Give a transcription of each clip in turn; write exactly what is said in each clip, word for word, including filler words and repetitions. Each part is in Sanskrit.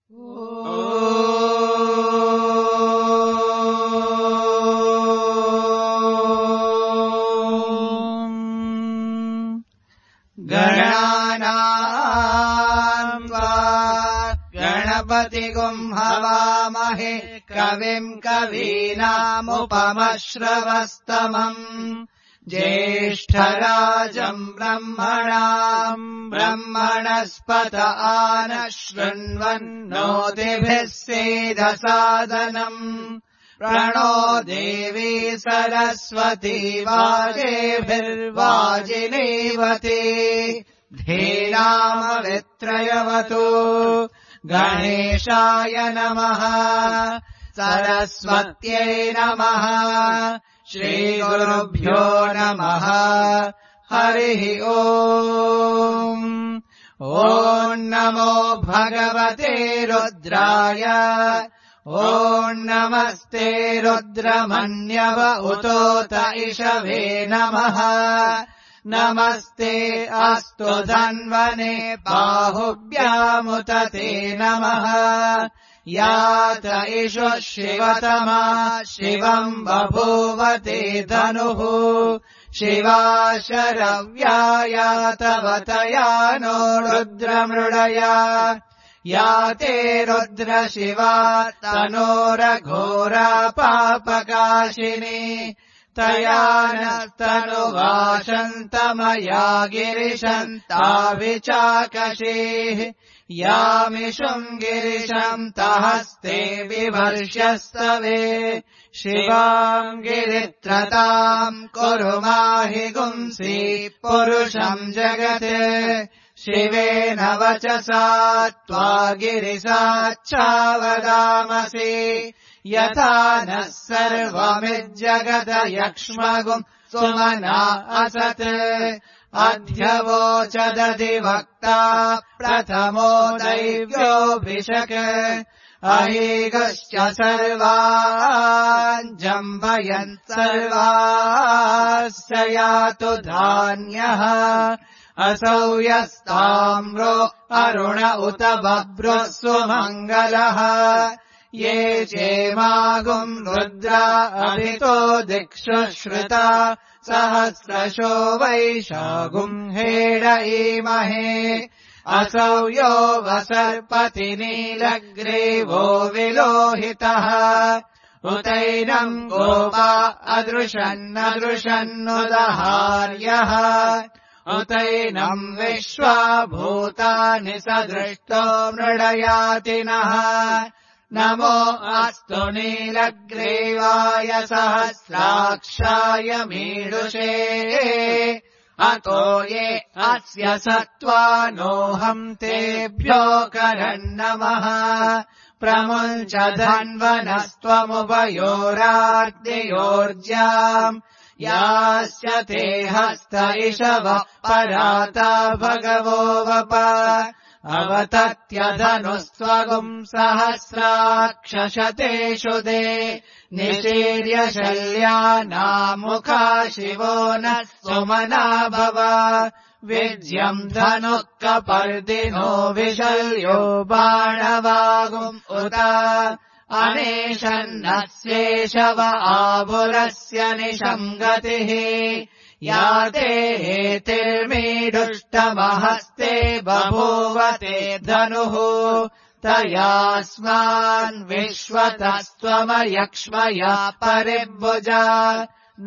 गणानाम् त्वा गणपतिगुम् हवामहे कविम् कवीनामुपमश्रवस्तमम् ज्येष्ठराजम् ब्रह्मणाम् ब्रह्मणस्पत आनः शृण्वन्नोतिभिः सेदसादनम् प्रणो देवी सरस्वती वाजेभिर्वाजिनीवती धीनामवित्रयवतु गणेशाय नमः सरस्वत्यै नमः श्रीगुरुभ्यो नमः हरिः ओम् ॐ नमो भगवते रुद्राय ॐ नमस्ते रुद्रमन्यव उतोत इषवे नमः नमस्ते अस्तु धन्वने बाहुभ्यामुत ते नमः यात इषु शिवतमा शिवम् बभूवते धनुः शिवा शरव्यायातवतया नो रुद्रमृडया याते रुद्र शिवा तनोरघोरा पापकाशिनी तया नस्तनुवाशन्तमया गिरिशन्ता विचाकशीः यामिषुम् गिरिशम् तहस्ते बिभर्ष्यस्तवे शिवाम् गिरित्रताम् कुरु माहि गुंसि पुरुषम् जगते शिवेन वचसा त्वा गिरिसाच्छावदामसि यथा नः सर्वमिज्जगत यक्ष्मगुम् सुमना असत् अध्यवोचदधिवक्ता प्रथमो दैव्योऽभिषक् अहीगश्च सर्वान् जम्बयन् सर्वास्य यातु धान्यः असौ यस्ताम्रो अरुण उत बभ्रुः सुमङ्गलः ये चेमागुम् रुद्रा अभितो दिक्षु श्रुता सहस्रशो वैशागुम् हेड ईमहे असौ यो वसर्पति नीलग्रीवो विलोहितः उतैनम् गोपा अदृशन्नदृशन्नुदहार्यः उतैनम् विश्वा भूतानि सदृष्टो मृडयातिनः नमो अस्तु नीलग्रीवाय सहस्राक्षाय मीडुषे अतो ये अस्य सत्त्वानोऽहम् तेभ्यो करन्नमः प्रमुञ्च धन्वनस्त्वमुभयोरार्तियोर्ज्याम् यास्य ते हस्त इषवः पराता भगवो वप अवतत्यधनुस्त्वगुम् सहस्राक्षशतेषु दे निशीर्य शल्यानामुखा शिवो नः सुमना भव विज्यम् धनुः कपर्दिनो विशल्यो बाणवागुम् उत अनेशन्नस्येषव आभुरस्य निशङ्गतिः याते हेतिर्मीडुष्टमहस्ते बभूवते धनुः तयास्मान् विश्वतस्त्वमयक्ष्मया परिभुजा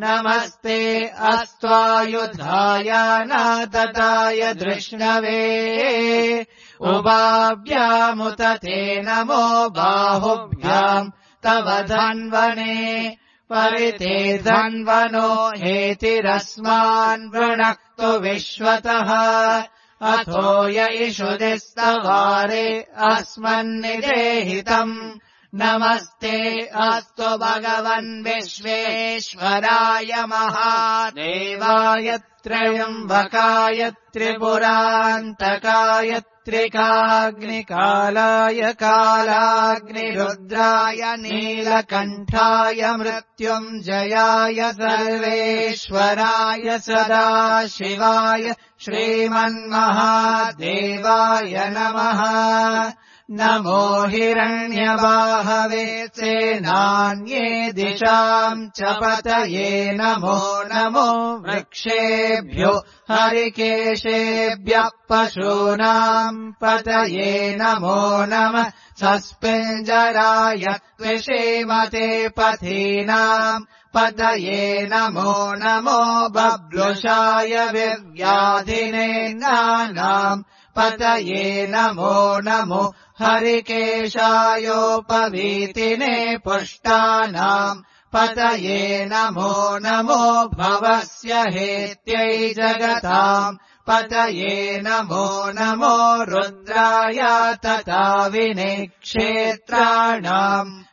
नमस्ते अस्त्वायुधाय नादताय धृष्णवे उभाभ्यामुत ते नमो बाहुभ्याम् तव धन्वने परिते धन्वनो हेतिरस्मान् वृणक्तु विश्वतः अथो य इषुदिस्तवारे अस्मन्निदेहितम् नमस्ते अस्तु भगवन् विश्वेश्वराय महादेवाय त्र्यम्बकाय त्रिपुरान्तकाय त्रिकाग्निकालाय कालाग्निरुद्राय नीलकण्ठाय मृत्युञ्जयाय सर्वेश्वराय सदाशिवाय श्रीमन्महादेवाय नमः नमो हिरण्यबाहवे सेनान्ये दिशाम् च पतये नमो नमो वृक्षेभ्यो हरिकेशेभ्यः पशूनाम् पतये नमो नमः सस्पिञ्जराय त्विषीमते पथीनाम् पतये नमो नमो बब्लुषाय विव्याधिने नानाम् पतये नमो नमो हरिकेशायोपवीतिने पुष्टानाम् पतये नमो नमो भवस्य हेत्यै जगताम् पतये नमो नमो रुद्राय तथा विनेक्षेत्राणाम्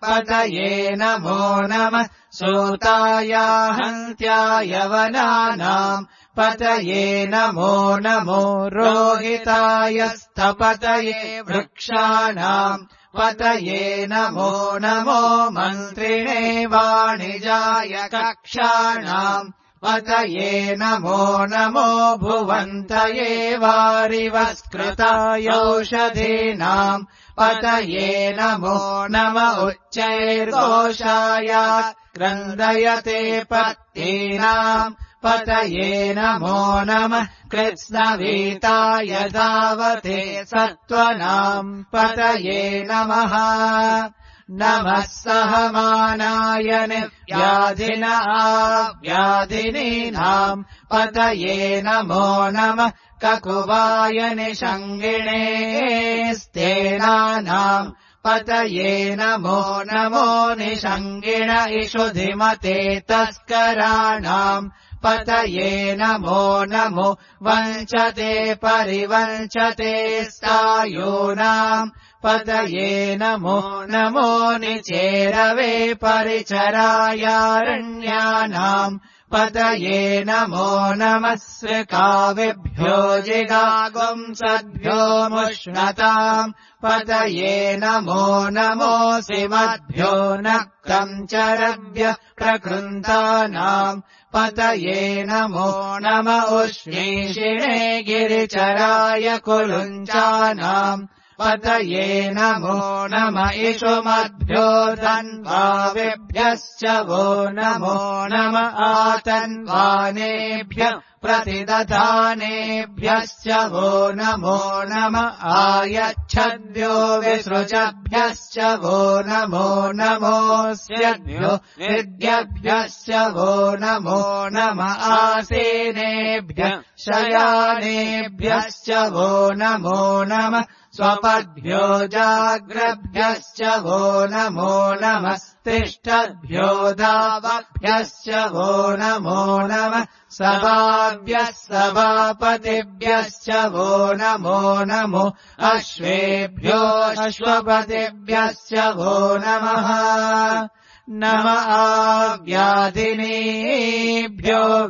पतये नमो नमः सूताय हन्त्याय वनानाम् पतये नमो नमो रोहिताय स्थपतये वृक्षाणाम् पतये नमो नमो मन्त्रिणे वाणिजाय कक्षाणाम् पतये नमो नमो भुवन्तये वारिवस्कृताय औषधीनाम् पतये नमो नम उच्चैर्घोषाय क्रन्दयते पत्नीनाम् पतये नमो नमः कृत्स्नवीताय धावते सत्त्वनाम् पतये नमः नमः सहमानाय निव्याधिन आव्याधिनीनाम् पतये नमो नमः ककुवाय निषङ्गिणे स्तेनानाम् पतये नमो नमो निषङ्गिण इषुधिमते तस्कराणाम् पतये नमो नमो वञ्चते परिवञ्चते स्थायूनाम् पतये नमो नमो निचेरवे परिचरायारण्यानाम् पतये नमो नमः स्विकाविभ्यो जिगागुंसद्भ्यो मुष्णताम् पतये नमो नमो सिमद्भ्यो नक्तम् चरभ्य प्रकृन्तानाम् पतये नमो नम उष्णीषिणे गिरिचराय कुलुञ्चानाम् पतये नमो नम इषुमद्भ्यो धन्वाविभ्यश्च वो नमो नम आतन्वानेभ्यः प्रतिदधानेभ्यश्च वो नमो नम आयच्छद्भ्यो विसृजभ्यश्च वो नमो नमोऽस्यद्भ्यो विद्यभ्यश्च वो नमो नम आसीनेभ्यः शयानेभ्यश्च वो नमो नम स्वपद्भ्यो जाग्रभ्यश्च वो नमो नमस्तिष्ठद्भ्यो धावभ्यश्च वो नमो नमः सभाभ्यः सभापतिभ्यश्च वो नमो नमो अश्वेभ्यो अश्वपतिभ्यश्च वो नमः नम आव्याधिनीभ्यो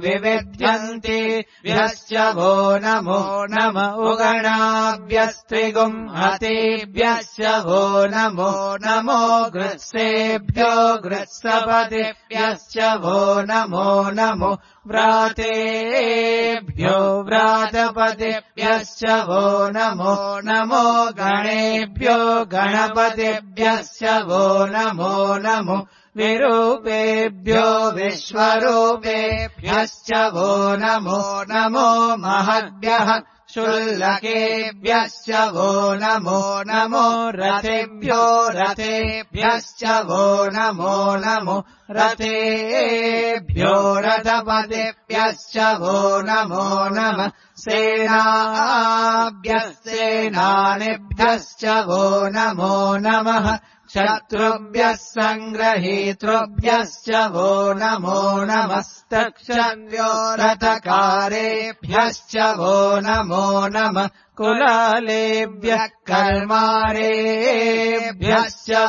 विविध्यन्ति भ्यश्च वो नमो नम उगणाभ्यस्त्रिगुंहतेभ्यश्च वो नमो नमो गृत्सेभ्यो गृत्सपतिभ्यश्च वो नमो नमो व्रातेभ्यो व्रातपतिभ्यश्च वो नमो नमो गणेभ्यो गणपतिभ्यश्च वो नमो नमो विरूपेभ्यो विश्वरूपेभ्यश्च वो नमो नमो महद्भ्यः शुल्लकेभ्यश्च वो नमो नमो रथेभ्यो रथेभ्यश्च वो नमो नमो रथेभ्यो रथपतिभ्यश्च वो नमो नमः सेनाभ्यः सेनानिभ्यश्च वो नमो नमः शत्रुभ्यः सङ्ग्रहीतृभ्यश्च वो नमो नमस्तक्षन्यो रथकारेभ्यश्च वो नमो नमः कुलालेभ्यः कर्मारेभ्यश्च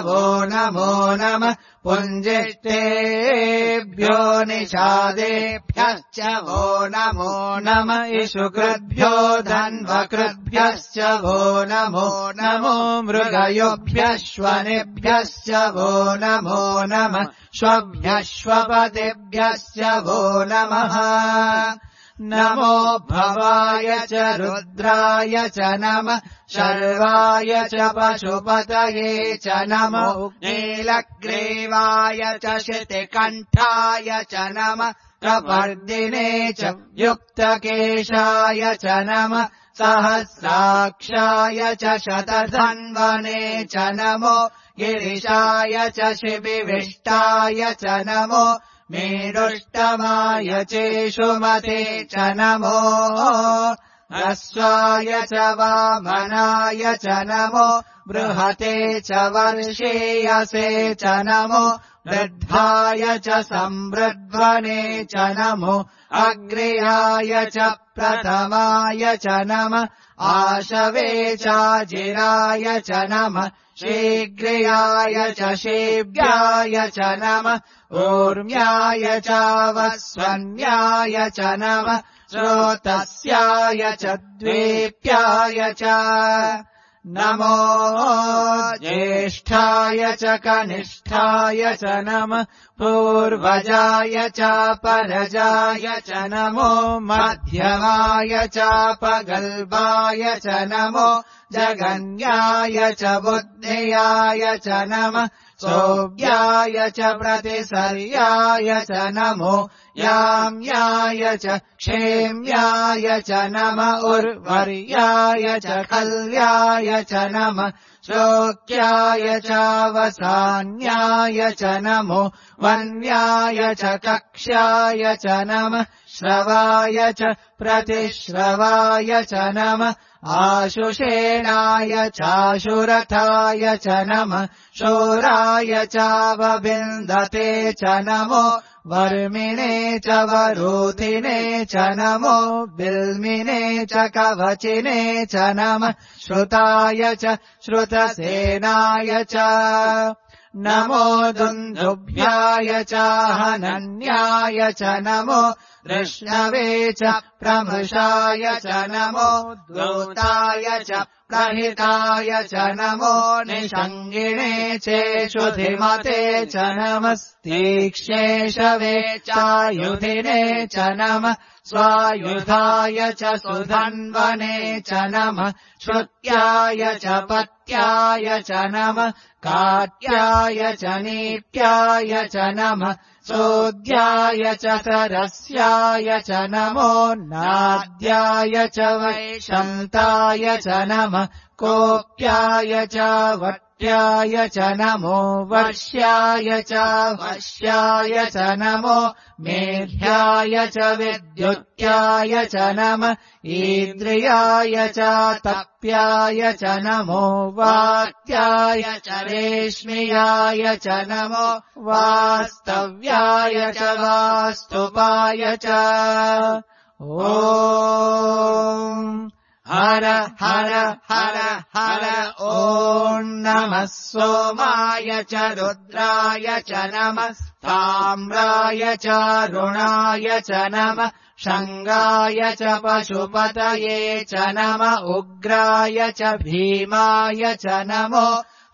वो नमो नमः पुञ्जिष्टेभ्यो निषादेभ्यश्च वो नमो नमः इषुकृद्भ्यो धन्वकृद्भ्यश्च वो नमो नमो मृगयोभ्यश्वनेभ्यश्च वो नमो नमः श्वभ्यश्वपतिभ्यश्च वो नमः नमो भवाय च रुद्राय च नमः शर्वाय च पशुपतये च नमो नीलग्रीवाय च शितिकण्ठाय च नमः प्रवर्धिने च युक्तकेशाय च नमः सहस्राक्षाय च शतधन्वने च नमो गिरिशाय च शिबिविष्टाय च नमो मेरुष्टमाय चेषुमते च नमो ह्रस्वाय च वामनाय च नमो बृहते च वर्षेयसे च नमो वृद्धाय च संवृध्वने च नमो अग्र्याय च प्रथमाय च नमः आशवे चाजिराय च नमः शीघ्राय च शीघ्राय च नमः ऊर्म्याय च वस्वन्याय च नमः श्रोतस्याय च द्वीप्याय च नमो ज्येष्ठाय च कनिष्ठाय च नमः पूर्वजाय च परजाय च नमो मध्यमाय च पगल्बाय च नमो जगन्याय च बुद्ध्याय च नमः सोऽव्याय च प्रतिसर्याय च नमो याम्याय च क्षेम्याय च नमः उर्वर्याय च कल्याय च नमः शोक्याय च वसान्याय च नमो वन्याय च कक्ष्याय च नमः श्रवाय च प्रतिश्रवाय च नमः आशुषेणाय चाशुरथाय च नमः शोराय चावबिन्दते च नमो वर्मिणे च वरूथिने च नमो बिल्मिने च कवचिने च नमः श्रुताय च श्रुतसेनाय च नमो दुन्दुभ्याय च हनन्याय च नमो कृष्णवे च प्रमृषाय च नमो दूताय च प्रहिताय च नमो निषङ्गिणे चेषुधिमते च नमस्तीक्ष्णेशवे चायुधिने च नमः स्वायुधाय च सुधन्वने च नमः श्रुत्याय च पत्याय च नमः काट्याय च नीप्याय च नमः सोऽद्याय च सरस्याय च नमो नाद्याय च वैशन्ताय च नमः कोप्याय च वट्याय च नमो वर्ष्याय च वश्याय च नमो मेघ्याय च विद्युत्याय च नमः ईन्द्रियाय च तप्याय च नमो वात्याय च रेश्म्याय च नमो वास्तव्याय च वास्तुपाय च ॐ हर हर हर हर ॐ नमः सोमाय च रुद्राय च नमः ताम्राय च रुणाय च नमः शङ्गाय च पशुपतये च नमः उग्राय च भीमाय च नमो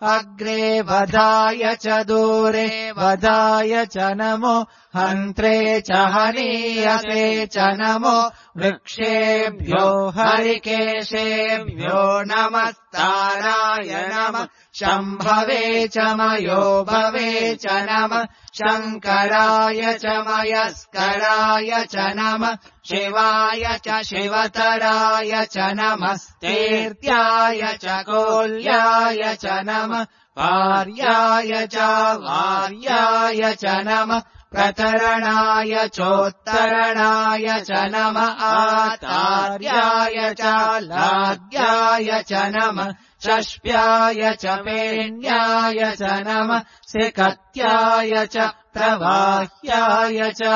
अग्रे वधाय च दूरे वधाय च नमो हन्त्रे च हनीयसे च नमो वृक्षेभ्यो हरिकेशेभ्यो नमस्ताराय नमः शम्भवे च मयो भवे च नमः शङ्कराय च मयस्कराय च नमः शिवाय च शिवतराय च नमस्तेर्त्याय च कोल्याय च नमः पार्याय च वार्याय च नमः प्रतरणाय चोत्तरणाय च नमः आतार्याय च लाद्याय च नमः षष्प्याय च पेण्याय च नमः सिकत्याय च प्रवाह्याय च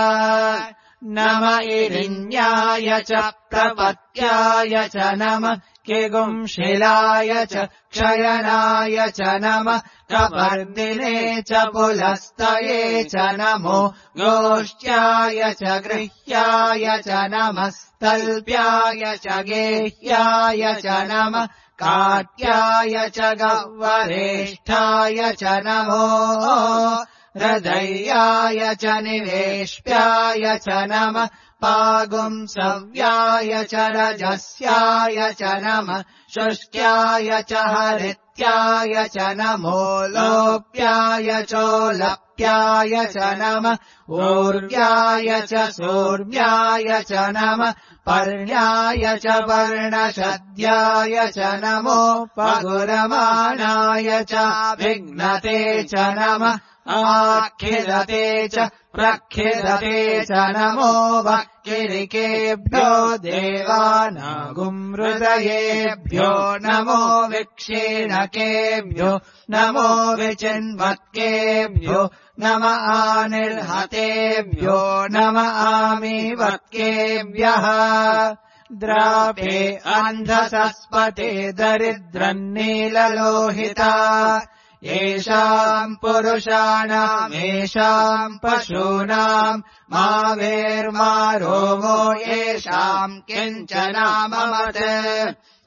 नम इरिण्याय च प्रपत्याय च नमः किगुंशिलाय च क्षयनाय च नमः कपर्दिने च पुलस्तये च नमो गोष्ट्याय च गृह्याय च नमः तल्प्याय च गेह्याय च नमः काट्याय च गह्वरेष्ठाय च नमो हृदयाय च निवेश्याय च नमः पागुंसव्याय च रजस्याय च नमः शुष्क्याय च हरित्याय च नमो लोप्याय चोलप्याय च नमः ऊर्व्याय च सूर्व्याय च नमः पर्ण्याय च वर्णशद्याय च नमो पगुरमाणाय च विघ्नते च नमः आखिलते च प्रखिलते च नमो वक्किरिकेभ्यो देवानागुंहृदयेभ्यो नमो विक्षीणकेभ्यो नमो विचिन्वत्केभ्यो नम आनिर्हतेभ्यो नम आमीवत्केभ्यः द्रापे अन्धसस्पते दरिद्रन्नीललोहिता येषाम् पुरुषाणाम् येषाम् पशूनाम् मा वेर्मा रोमो येषाम् किञ्चनाममत्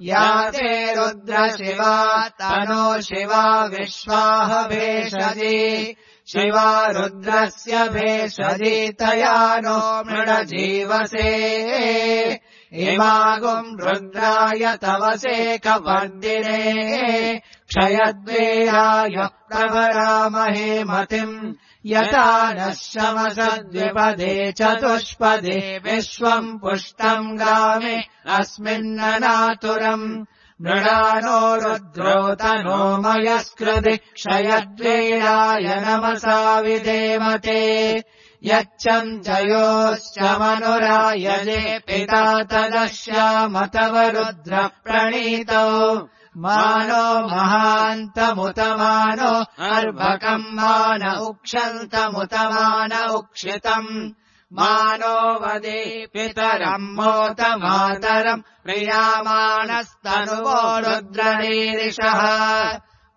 या ते रुद्रशिवा तनो शिवा विश्वाह भेषजी शिवा रुद्रस्य भेषजी तया नो मृडजीवसे इमागुम् रुद्राय तवसे कवर्दिने क्षयद्वेराय प्रभरामहे मतिम् यथा नः शमसद्विपदे चतुष्पदे विश्वम् पुष्टम् गामे अस्मिन्ननातुरम् मृडानो रुद्रो तनो मयस्कृति क्षयद्वेराय नमसा विधेमते यच्चम् जयोश्च मनुरायजे पिता तदश्याम तव रुद्र प्रणीतौ मानो महान्तमुतमानो अर्भकम् मान उक्षन्तमुतमान उक्षितम् मानो वदे पितरम् मोत मातरम् प्रियामानस्तनुवो रुद्रनीरिषः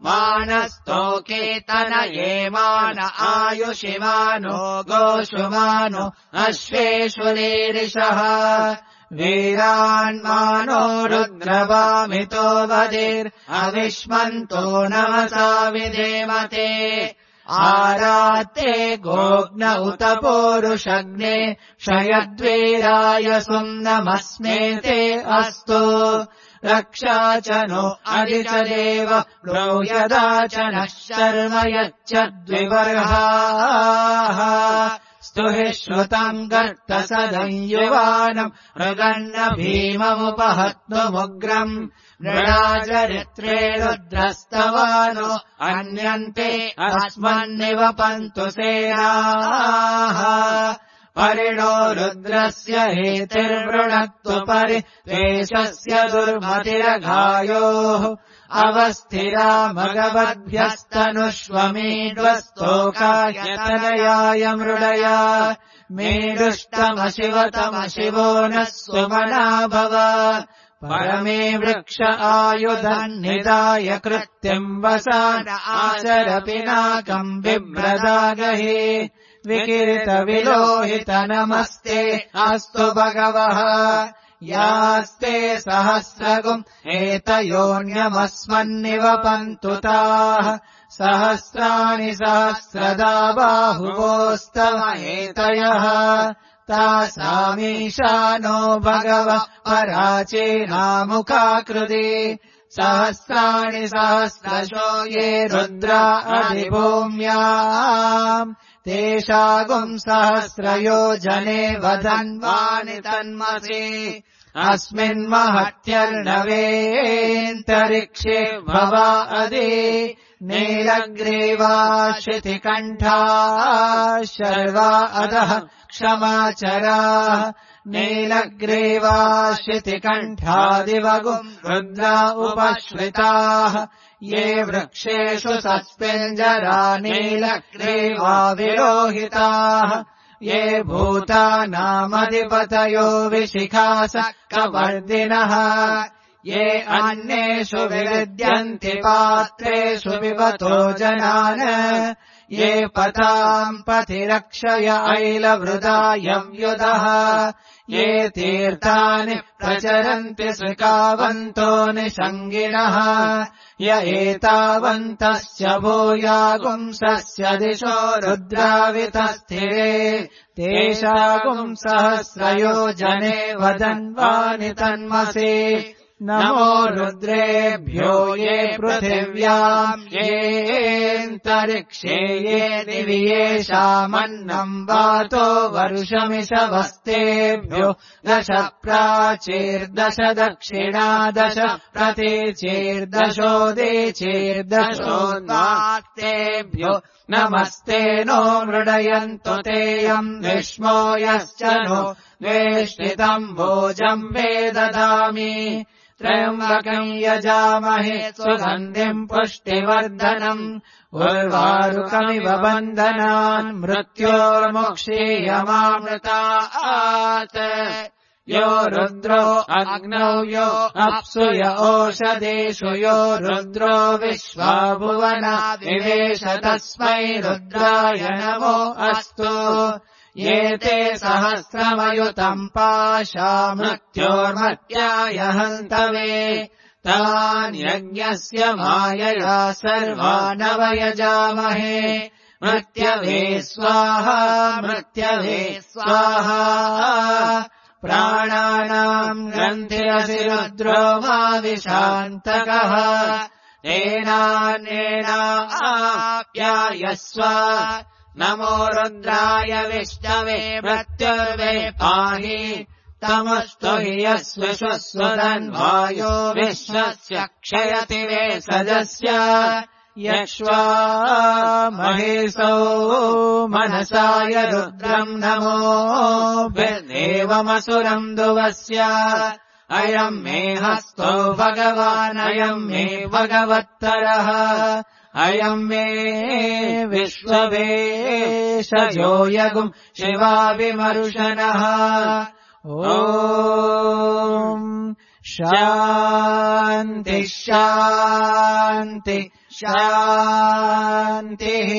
मानस्तोकेतन ये मान आयुषिमानो गोषुमानो अश्वेषु नीरिषः वीरान्मानो रुद्रवामितो वदिर् अविष्मन्तो नमसा विधेमते आराते गोग्न उत पोरुषग्ने क्षयद्वीराय सुम्नमस्मेते अस्तु रक्षा च नो अधिचदेव ब्रूयदा च नः शर्म यच्चद्विवर्हाः स्तुहि श्रुतम् गर्तसदंयुवानम् मृगन्न भीममुपहत्नुमुग्रम् मृडाचरित्रे रुद्रस्तवानो अन्यन्ते अस्मन्निवपन्तु सेनाः परिणो रुद्रस्य हेतिर्वृणक्तु परि द्वेषस्य दुर्मतिरघायोः अवस्थिरा मगवद्भ्यस्तनुष्वमीड्वस्तोकायतनयाय मृडया मेरुष्टमशिवतमशिवो नः सुमना भव परमे वृक्ष आयुधन्निदाय कृत्यम् वसान आचर पिनाकम् बिभ्रदागहे विकिरितविलोहित नमस्ते अस्तु भगवः यास्ते सहस्रगुम् एतयोऽन्यमस्मन्निवपन्तु ताः सहस्राणि सहस्रदा बाहुवोस्तव एतयः तासामीशानो भगवः पराचीनामुखाकृति सहस्राणि सहस्रशो ये रुद्रा अधिभूम्याम् तेषागुम् सहस्रयोजने वधन्वानि तन्मसि अस्मिन्महत्यर्णवेऽन्तरिक्षे भवा अदि नीलग्रीवा शितिकण्ठा शर्वा अधः क्षमाचराः नीलग्रीवा शितिकण्ठादिवगुम् रुद्रा उपश्रिताः ये वृक्षेषु सस्पेञ्जरा नीलग्रीवा विलोहिताः ये भूतानामधिपतयो विशिखासक्कवर्दिनः ये अन्येषु विविद्यन्ति पात्रेषु विवतो जनान् ये पताम् पथि रक्षय ऐलवृदायव्युदः ये तीर्थानि प्रचरन्ति सृकावन्तो निषङ्गिणः य एतावन्तस्य भूयागुंसस्य दिशो रुद्रावितस्थिरे तेषागुंसहस्रयोजने वदन्वानि तन्मसि नमो रुद्रेभ्यो ये पृथिव्याम् येऽन्तरिक्षे ये दिवि येषामन्नम् वातो वरुषमिषवस्तेभ्यो दश प्राचीर्दश दक्षिणा दश प्रतीचीर्दशोदीचीर्दशोन्वाक्तेभ्यो नमस्ते नो मृडयन्तु तेयम् विष्मो यश्च नो द्वेष्टितम् भोजम् वे ददामि त्र्यम्बकम् यजामहे सुगन्धिम् पुष्टिवर्धनम् उर्वारुकमिव बन्धनान् मृत्योर्मुक्षीयमामृतात् यो रुद्रो अग्नौ यो अप्सु य ओषधेषु यो रुद्रो विश्वा भुवना विवेश तस्मै रुद्राय नमो अस्तु ये ते सहस्रमयुतम् पाशा मृत्योर्मर्त्याय हन्तवे तान्यज्ञस्य मायया सर्वानवयजामहे मृत्यवे स्वाहा मृत्यवे स्वाहा प्राणानाम् ग्रन्थिरसि रुद्रो मा विशान्तकः तेनान्येनाप्यायस्व नमो रुद्राय विष्णवे मृत्युर्वे पाहि तमस्तु हि यस्विश्वस्वदन्वायो विश्वस्य क्षयति वे सदस्य यक्ष्वा महेशो मनसाय रुद्रम् नमो देवमसुरम् दुवस्य अयम् मे हस्तो भगवान् अयम् मे भगवत्तरः अयम् मे विश्ववेशयो यगुम् शिवाविमर्शनः ॐ शान्ति शान्ति शान्तिः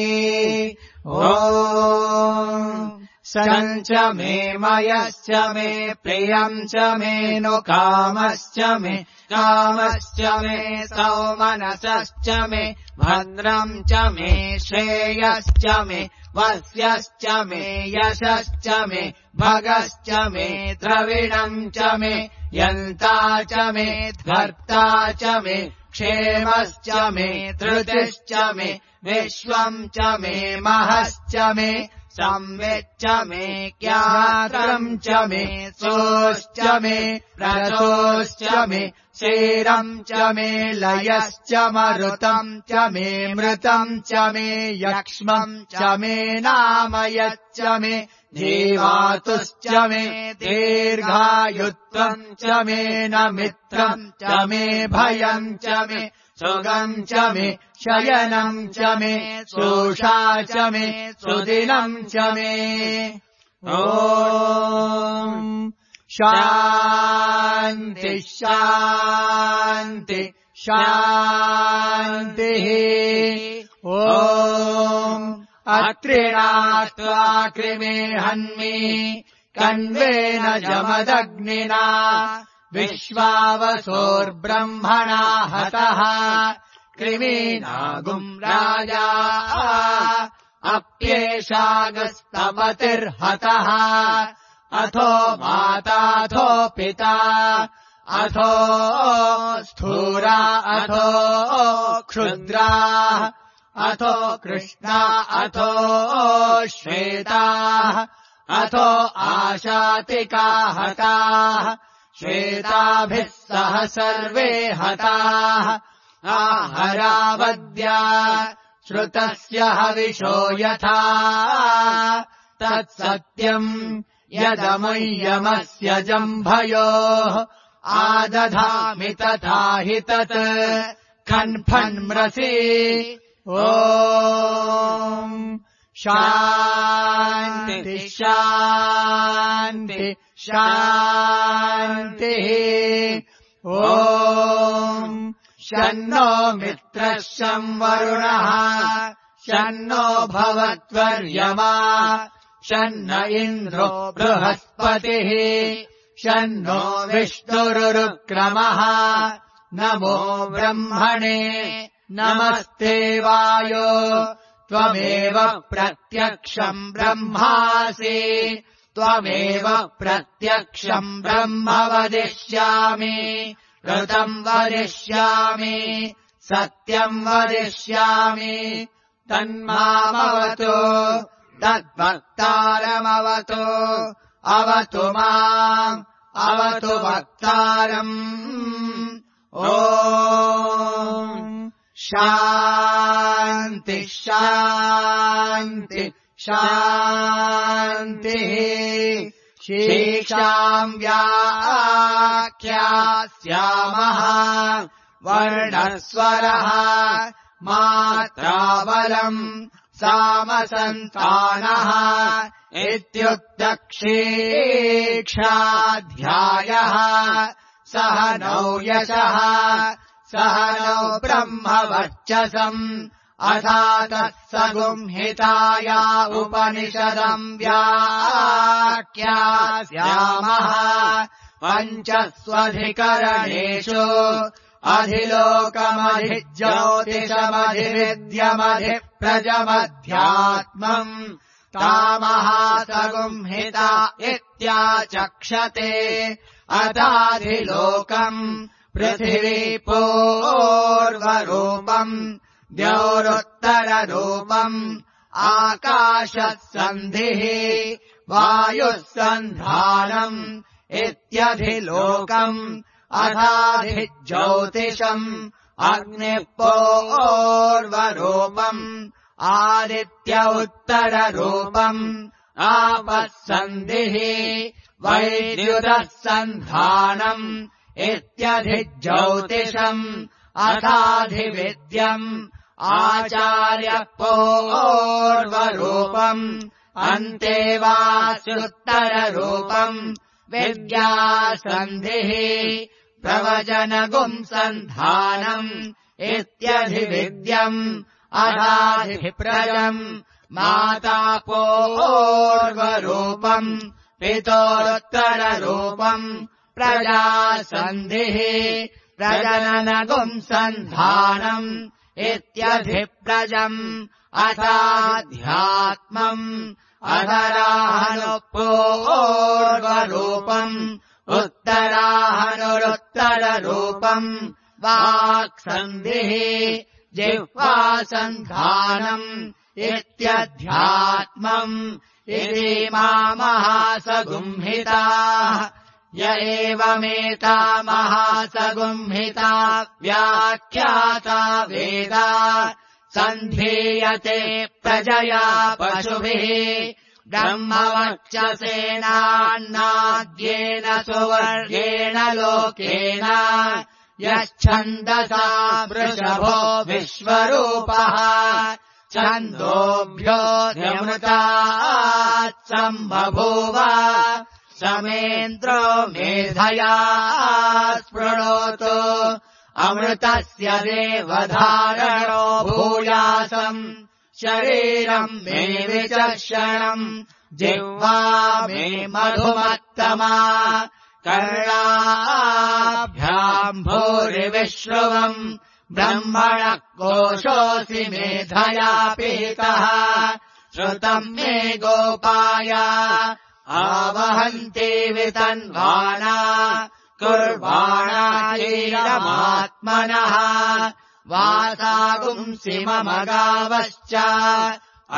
ॐ सञ्च मे मयश्च मे प्रियम् च मे नु कामश्च मे कामश्च मे सौमनसश्च मे भद्रम् च मे श्रेयश्च मे वस्यश्च मे यशश्च मे भगश्च मे द्रविणम् च मे यन्ता च मे भर्ता च मे क्षेमश्च मे धृतिश्च मे विश्वम् च मे महश्च मे संविच्च मे ज्ञातरम् च मे सोश्च मे रथोश्च मे क्षीरम् च मे लयश्च मरुतम् च मे मृतम् च मे यक्ष्मम् च मे नामयच्च मे जीवातुश्च मे दीर्घायुत्वम् च मे न मित्रम् च मे भयम् च मे सुगम् च मे शयनम् च मे शोषा च मे सुदिनम् च मे ॐ शान्ति शान्ति शान्तिः ॐ अत्रिणात्वा कृमे हन्मि कण्वेन जमदग्निना विश्वावसोर्ब्रह्मणा हतः कृमीनागुम् राजा अप्येषागस्तपतिर्हतः अथो माताथो पिता अथो स्थूरा अथो क्षुद्रा अथो कृष्णा अथो श्वेताः अथो आशातिका हताः श्वेताभिः सह सर्वे हताः आहरावद्या श्रुतस्य हविषो यथा तत्सत्यम् यदमुय्यमस्य जम्भयोः आदधामि तथा हि तत् खन्फन्मृषि ॐ शान्ति शान्ति शान्तिः ॐ शन्नो मित्रः शं वरुणः शन्नो भवत्वर्यमा शन्न इन्द्रो बृहस्पतिः शन्नो विष्णुरुक्रमः नमो ब्रह्मणे नमस्ते वायो त्वमेव प्रत्यक्षम् ब्रह्मासि त्वमेव प्रत्यक्षम् ब्रह्म वदिष्यामि ऋतम् वदिष्यामि सत्यम् वदिष्यामि तन्मामवतु तद्वक्तारमवतु अवतु माम् अवतु वक्तारम् ॐ शान्ति शान्ति शान्तिः शीक्षाम् व्याख्यास्यामः वर्णस्वरः मात्राबलम् सामसन्तानः इत्युक्तक्षीक्षाध्यायः सह नौ यशः सह नौ ब्रह्मवर्चसम् अथातः सगुंहिताया उपनिषदम् व्याख्यास्यामः पञ्चस्वधिकरणेषु अधिलोकमधिज्योतिषमधिविद्यमधिप्रजमध्यात्मम् तामहासगुंहिता इत्याचक्षते अथाधिलोकम् पृथिवी पूर्वरूपम् द्यौरुत्तररूपम् आकाशः सन्धिः वायुः सन्धानम् इत्यधिलोकम् अथाधिज्योतिषम् अग्निः पूर्वरूपम् आदित्य उत्तररूपम् आपः सन्धिः वैद्युतः सन्धानम् इत्यधिज्योतिषम् अथाधिविद्यम् आचार्यः पूर्वरूपम् अन्तेवास्युत्तररूपम् विद्यासन्धिः प्रवचनगुम् सन्धानम् इत्यधिविद्यम् अथाधिप्रजम् माता पूर्वरूपम् पितोरुत्तररूपम् प्रजासन्धिः प्रजननगुम् सन्धानम् इत्यधिप्रजम् अथाध्यात्मम् अधराहनुपूर्वरूपम् उत्तराहनुरुत्तररूपम् वाक्सन्धिः जिह्वासन्धानम् इत्यध्यात्मम् इति महासगुंहिताः य एवमेता महासगुंहिता व्याख्याता वेदा सन्धीयते प्रजया पशुभिः ब्रह्मवर्चसेनान्नाद्येन सुवर्गेण लोकेन यच्छन्दसा वृषभो विश्वरूपः छन्दोभ्योऽध्यमृतात् सम्बभूव समेन्द्रो मेधया स्पृणोतु अमृतस्य देवधारणो भूयासम् शरीरम् मे विचर्षणम् जिह्वा मे मधुमत्तमा कर्णाभ्याम् भूरिविश्रुवम् ब्रह्मणः कोशोऽसि मेधया पीतः श्रुतम् मे गोपाय आवहन्ति वितन्वाना कुर्वाणा चीरमात्मनः वासागुंसि मम गावश्च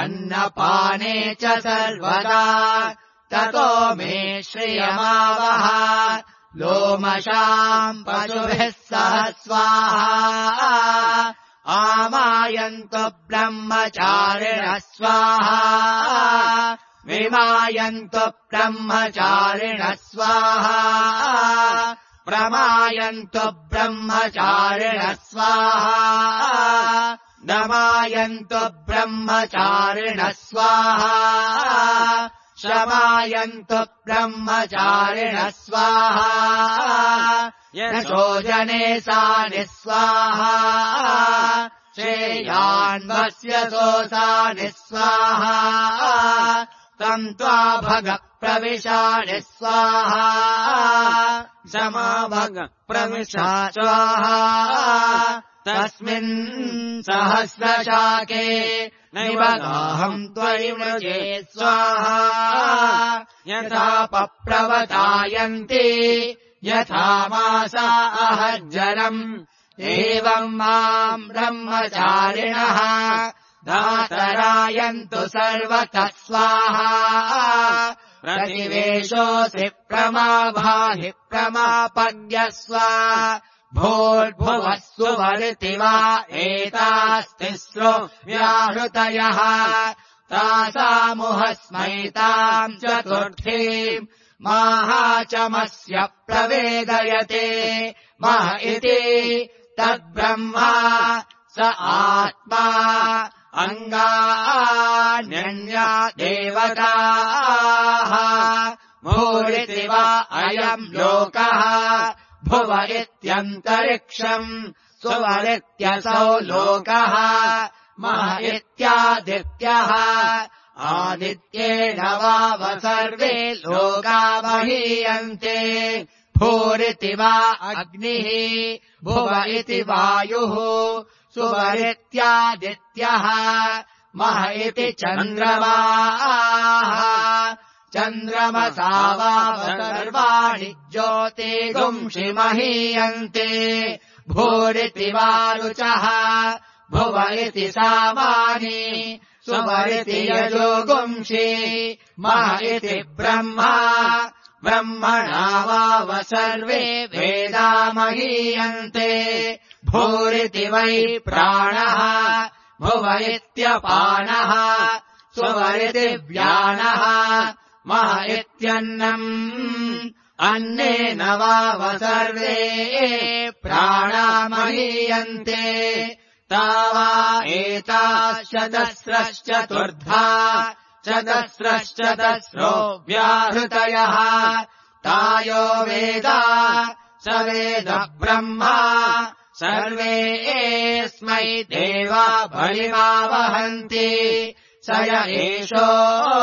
अन्नपाने च सर्वदा ततो मे श्रियमावह लोमशाम् पशुभिः सह स्वाहा आमायन्तु ब्रह्मचारिणः स्वाहा विमायन्तु ब्रह्मचारिणः स्वाहा प्रमायन्तु ब्रह्मचारिणः स्वाहा नमायन्तु ब्रह्मचारिणः स्वाहा शमायन्तु ब्रह्मचारिणः स्वाहा यशो जने सा निःस्वाहा श्रेयान्वस्य सोऽसा निःस्वाहा तम् त्वा भग प्रविशाणि स्वाहा समाभग प्रविशा स्वाहा तस्मिन् सहस्रशाके निबगाहम् त्वयि मृजे स्वाहा यथा पप्रवतायन्ति यथा मासा अहज्जरम् एवम् माम् ब्रह्मचारिणः धातरायन्तु सर्वतः स्वाहा प्रतिवेशोऽसि प्रमाभाहि प्रमापद्यस्व भूर्भुवः सुवर्ति वा एतास्तिस्रो व्याहृतयः तासामुहस्मैताम् चतुर्थीम् माहाचमस्य प्रवेदयते मह इति तद्ब्रह्मा स आत्मा अङ्गान्यन्या देवताः भूरिति वा अयम् लोकः भुव इत्यन्तरिक्षम् सुवरित्यसौ लोकः मह इत्यादित्यः आदित्येन वाव सर्वे लोका महीयन्ते भूरिति वा अग्निः भुव इति वायुः सुवरित्यादित्यः मह इति चन्द्रमाः चन्द्रमसा वाव सर्वाणि ज्योतिगुंषि महीयन्ते भूरिति वारुचः भुव इति सामानि सुवरिति यजोगुंषि मह इति ब्रह्मा ब्रह्मणा वाव सर्वे वेदा महीयन्ते भूरिति वै प्राणः भुव इत्यपानः सुवरिति व्यानः मह इत्यन्नम् अन्नेन वाव सर्वे प्राणा महीयन्ते तावा एताश्चतस्रश्चतुर्धा चतस्रश्चतस्रो व्याहृतयः तायो वेदा स वेद ब्रह्मा सर्वे एस्मै देवा बलिमावहन्ति स य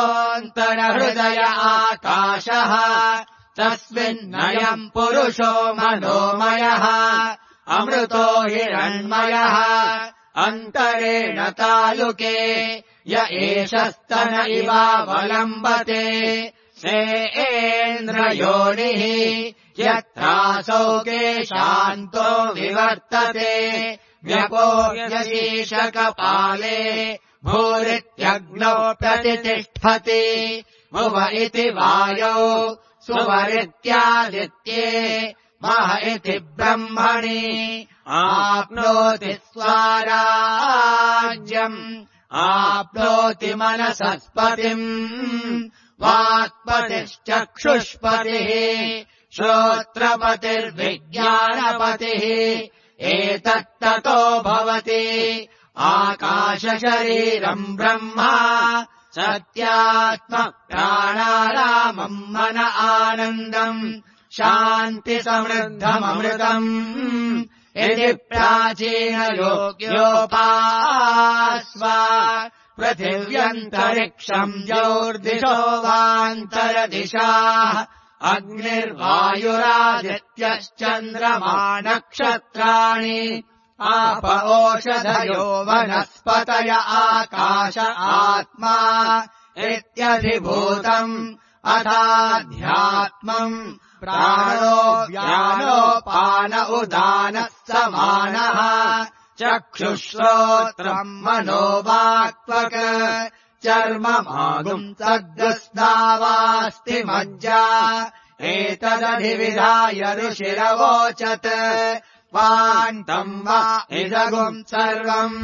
एषोऽन्तरहृदय आकाशः तस्मिन्नयम् पुरुषो मनोमयः अमृतो हिरण्मयः अन्तरेण तालुके य एष स्तन इवावलम्बते सेन्द्रयोनिः यत्रासौ केशान्तो विवर्तते व्यपोऽयशीशकपाले भूरित्यग्नौ प्रतितिष्ठति भुव इति वायौ सुवरित्यादित्ये मह इति ब्रह्मणि आप्नोति स्वाराज्यम् आप्नोति मनसस्पतिम् वाक्पतिश्चक्षुष्पतिः श्रोत्रपतिर्विज्ञानपतिः एतत्ततो भवति आकाशशरीरम् ब्रह्मा सत्यात्म प्राणारामम् मन आनन्दम् शान्तिसमृद्धममृतम् यदि प्राचीनयोग्योपास्व पृथिव्यन्तरिक्षम् ज्योर्दिशो वान्तरदिशाः अग्निर्वायुरादित्यश्चन्द्रमा नक्षत्राणि आप ओषधयो वनस्पतय आकाश आत्मा इत्यधिभूतम् अथाध्यात्मम् प्राणो व्यानोपान उदानः समानः चक्षुश्रोत्रम् मनोवाक्त्वक् चर्ममागुम् तद्गस्नावास्ति मज्जा एतदधिविधाय ऋषिरवोचत् पाण्टम् वा इदगुम् सर्वम्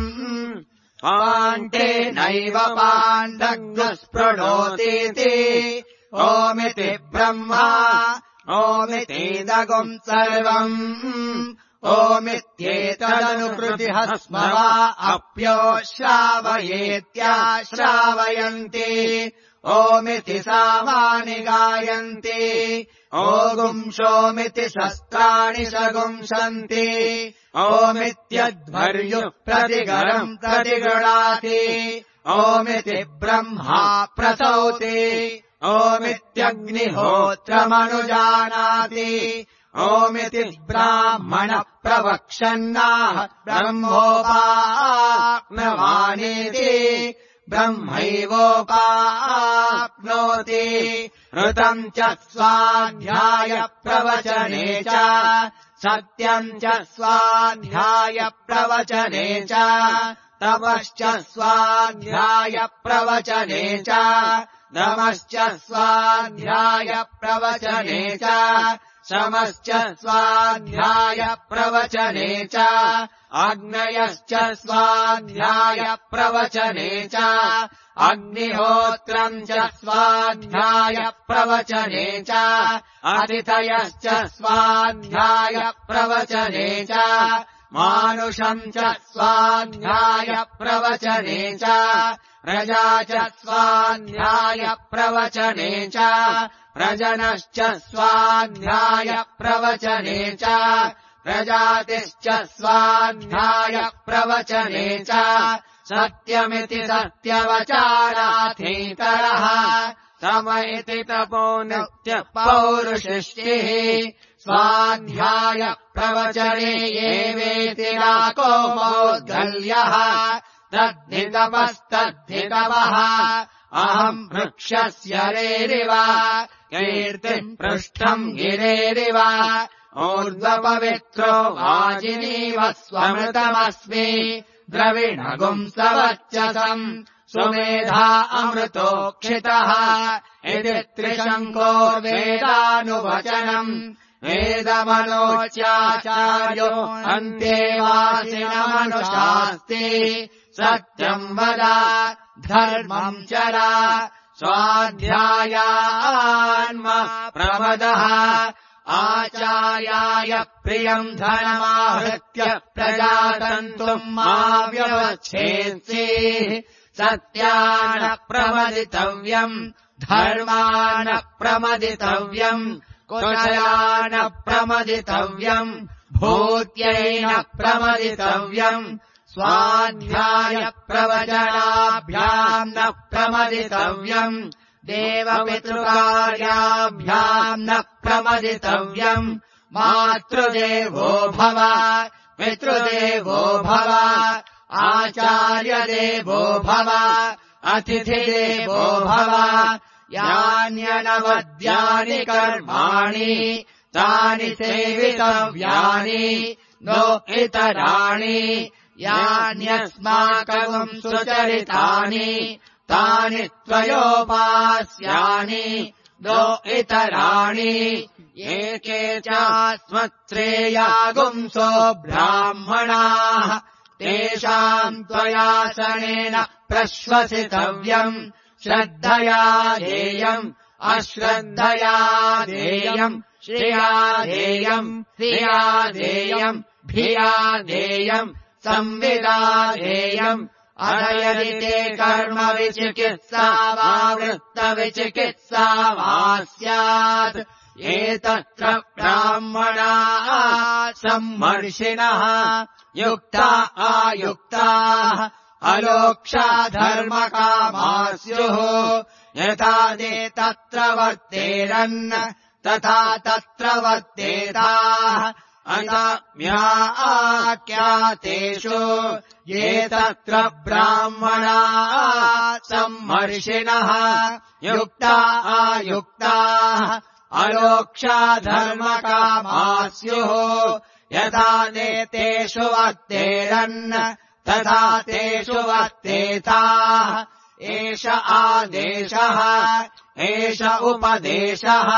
पाण्टेनैव पाण्डग्स्पृणोतीति ओमिति ब्रह्मा ओमितीदगुम् सर्वम् ओमित्येतदनुकृतिः स्म वा अप्यो श्रावयेत्याश्रावयन्ति ओमिति सामानि गायन्ति ओगुंशोमिति शस्त्राणि सगुंसन्ति ओमित्यध्वर्युः प्रतिगरम् प्रतिगृणाति ओमिति ब्रह्मा प्रसौति ओमित्यग्निहोत्रमनुजानाति ओमिति ब्राह्मण प्रवक्षन्नाह ब्रह्मोपाप्नवानीति ब्रह्मैवोपाप्नोति ऋतम् च स्वाध्याय प्रवचने च सत्यम् च स्वाध्याय प्रवचने च तपश्च स्वाध्याय प्रवचने च दमश्च स्वाध्याय प्रवचने च शमश्च स्वाध्याय प्रवचने च अग्नयश्च स्वाध्याय प्रवचने च अग्निहोत्रम् च स्वाध्याय प्रवचने च अतिथयश्च स्वाध्याय प्रवचने च मानुषम् च स्वाध्याय प्रवचने च प्रजा च स्वाध्याय प्रवचने च प्रजनश्च स्वाध्याय प्रवचने च प्रजातिश्च स्वाध्याय प्रवचने च सत्यमिति सत्यवचाराथेतरः सम इति तपो नित्य पौरुषिष्टिः स्वाध्याय प्रवचने एवेति राको मौद्गल्यः तद्धितपस्तद्धितपः अहम् वृक्षस्य रेरिव कीर्तिम् पृष्ठम् गिरेरिव ऊर्ध्वपवित्रो वाजिनीव स्वमृतमस्मि द्रविणगुम् सवच्चसम् सुमेधा अमृतोक्षितः इति त्रिशङ्को वेदानुवचनम् वेदमनोच्याचार्यो अन्तेवासिनमनुशास्ति सत्यम् वद धर्मम् चरा स्वाध्यायान्म प्रमदः आचार्याय प्रियम् धनमाहृत्य प्रजातन्तुम् मा व्यवच्छेत्सि सत्यान प्रमदितव्यम् धर्मान प्रमदितव्यम् कुशलान प्रमदितव्यम् भूत्यैन प्रमदितव्यम् स्वाध्याय प्रवचनाभ्याम् न प्रमदितव्यम् देवपितृकार्याभ्याम् न प्रमदितव्यम् मातृदेवो भव पितृदेवो भव आचार्यदेवो भव अतिथिदेवो भव यान्यनवद्यानि कर्माणि तानि सेवितव्यानि नो इतराणि यान्यस्माकम् सुचरितानि तानि त्वयोपास्यानि नो इतराणि एके चास्मत्श्रेयागुंसो ब्राह्मणाः तेषाम् त्वयासनेन प्रश्वसितव्यम् श्रद्धया ध्येयम् अश्रद्धया ध्येयम् श्रिया ध्येयम् धिया ध्येयम् भिया ध्येयम् संविदा ध्येयम् अधयदि ते कर्म विचिकित्सा वा वृत्तविचिकित्सा वा स्यात् एतत्र ब्राह्मणाः सम्मर्षिणः युक्ता आयुक्ताः अलोक्षा धर्मकामा स्युः यथा ते तत्र वर्तेरन् तथा तत्र वर्तेताः अनाम्याख्यातेषु ये तत्र ब्राह्मणाः सम्मर्षिणः युक्ता आयुक्ताः अलोक्षा धर्मकामा स्युः यथा ते तेषु वर्तेरन् तथा तेषु वर्तेताः एष आदेशः एष उपदेशः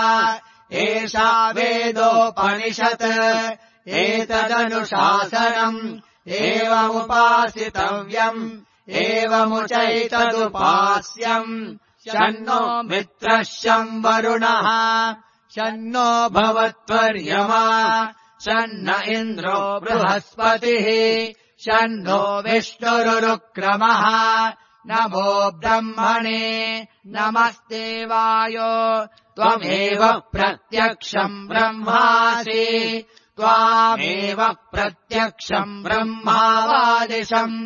एषा वेदोपनिषत् एतदनुशासनम् एवमुपासितव्यम् एवमुचैतदुपास्यम् शन्नो मित्रः शं वरुणः शन्नो भवत्वर्यमा शन्न इन्द्रो बृहस्पतिः शन्नो विष्णुरुक्रमः नमो ब्रह्मणे नमस्ते वायो त्वमेव प्रत्यक्षम् ब्रह्मासि त्वामेव प्रत्यक्षम् ब्रह्मावादिशम्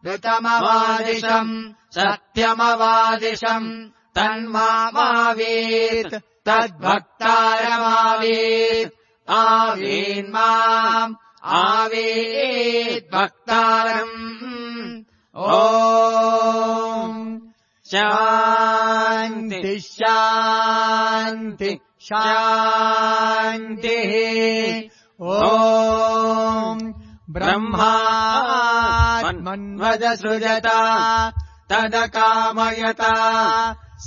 ऋतमवादिशम् सत्यमवादिशम् तन्मामावीत् तद्भक्तारमावीत् आवीन्माम् आवीत् भक्तारम् ॐ शान्ति शान्ति शान्तिः ॐ ब्रह्मात्मन्वदसृजता तदकामयता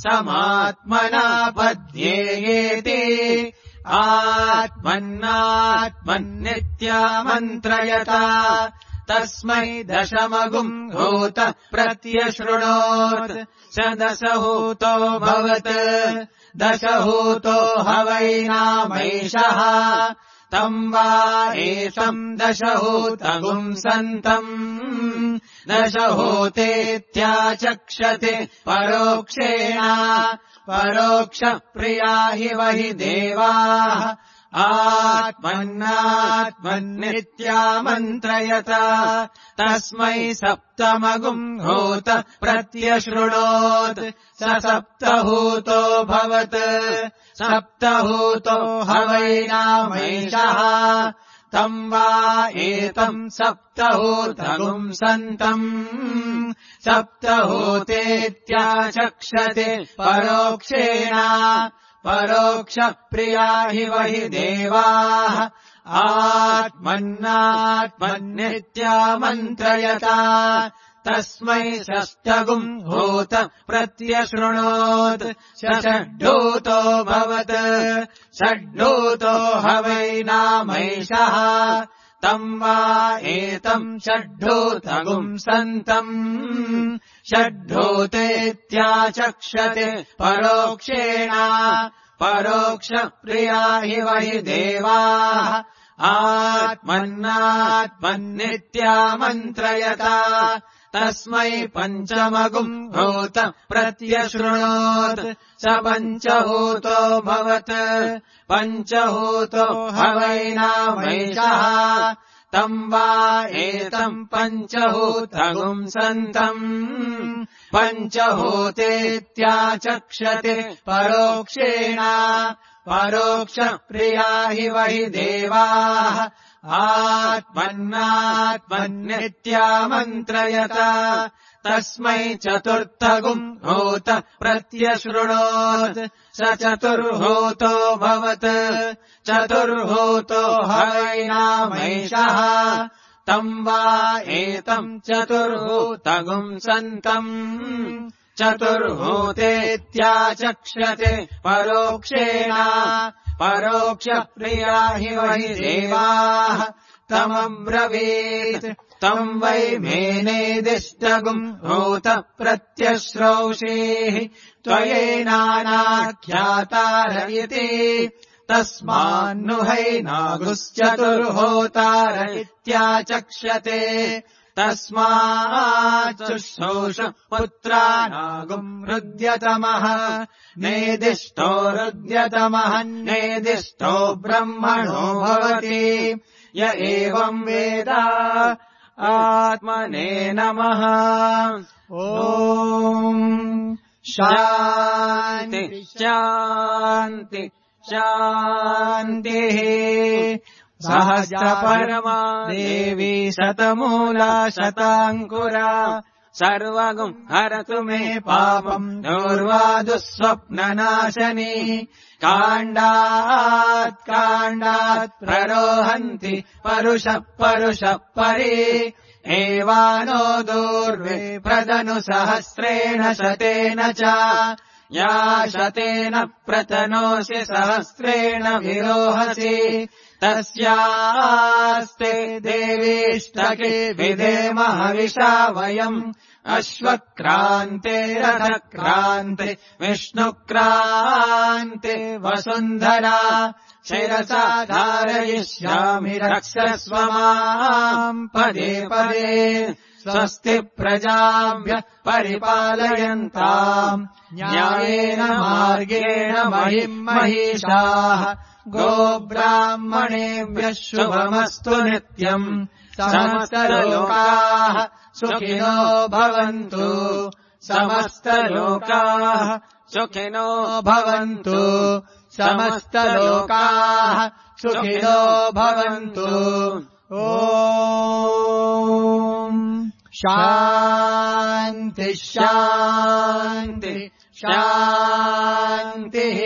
समात्मना पद्येयेति आत्मन्नात्मन्नित्यामन्त्रयता तस्मै दशमगुम् हूत प्रत्यशृणोत् स दशहूतो भवत् दशहूतो हवैनामैषः तम् वा एषम् दशहूतगुम् सन्तम् दशहूतेत्याचक्षते परोक्षेण परोक्षप्रिया हि वहि देवाः आत्मन्नात्मन्नित्यामन्त्रयता तस्मै सप्तमगुम् हूत प्रत्यशृणोत् स सप्तहूतो भवत् सप्तहूतो हवैनामैषः तम् वा एतम् सप्तहूतगुम् सन्तम् सप्तहूतेत्याचक्षते परोक्षेण परोक्षप्रिया हि वहि देवाः आत्मन्नात्मन्नित्यामन्त्रयता तस्मै षष्ठगुम् हूत प्रत्यशृणोत् स षड्ढूतो भवत् षड्ढूतो हवैनामैषः तम् वा एतम् षड्ढूतगुम् सन्तम् षड्ढूतेत्याचक्षते परोक्षेण परोक्षप्रिया हि वहि देवाः आत्मन्नात्मन्नित्यामन्त्रयता तस्मै पञ्चमगुम् हूत प्रत्यशृणोत् स पञ्चहूतो भवत् पञ्चहूतो हवैनामैषः तम् वा एतम् पञ्चहूतगुम् सन्तम् पञ्चहूतेत्याचक्षते परोक्षेण परोक्षप्रिया हि वहि देवाः आत्मन्नात्मन्नित्यामन्त्रयता तस्मै चतुर्थगुम् हूत प्रत्यशृणोत् स चतुर्हूतो भवत् चतुर्हूतो हवैनामैषः तम् वा एतम् चतुर्हूतगुम् सन्तम् चतुर्हूतेत्याचक्षते परोक्षेण परोक्षप्रिया हि वहि देवाः तमब्रवीत् तम् वै मेनेदिष्टगुम् हूत प्रत्यश्रौषेः त्वयैनानाख्यातार इति तस्मान्नु हैनागुश्चतुर्होतार इत्याचक्षते तस्माच्चुश्रौष पुत्रानागुम् हृद्यतमः नेदिष्टो हृद्यतमः नेदिष्टो ब्रह्मणो भवति य एवम् वेद आत्मने नमः ॐ शान्ति शान्ति शान्तिः सहस्रपरमा देवी शतमूला शताङ्कुरा सर्वगुम् हरतु मे पापम् दूर्वादुःस्वप्ननाशनी काण्डात् काण्डात् प्ररोहन्ति परुषः परुषः परि एवानो दूर्वे प्रदनु सहस्रेण शतेन च या शतेन प्रतनोषि सहस्रेण विरोहसि तस्यास्ते देवीष्टके विधेम हविषा वयम् अश्वक्रान्ते रथक्रान्ते विष्णुक्रान्ते वसुन्धरा शिरसा धारयिष्यामि रक्षस्व माम् पदे पदे स्वस्ति प्रजाभ्यः परिपालयन्ताम् न्यायेन मार्गेण महिम् महिषाः गोब्राह्मणेभ्यः शुभमस्तु नित्यम् समस्तलोकाः सुखिनो भवन्तु समस्तलोकाः सुखिनो भवन्तु समस्तलोकाः सुखिनो भवन्तु ॐ शान्ति शान्ति शान्तिः।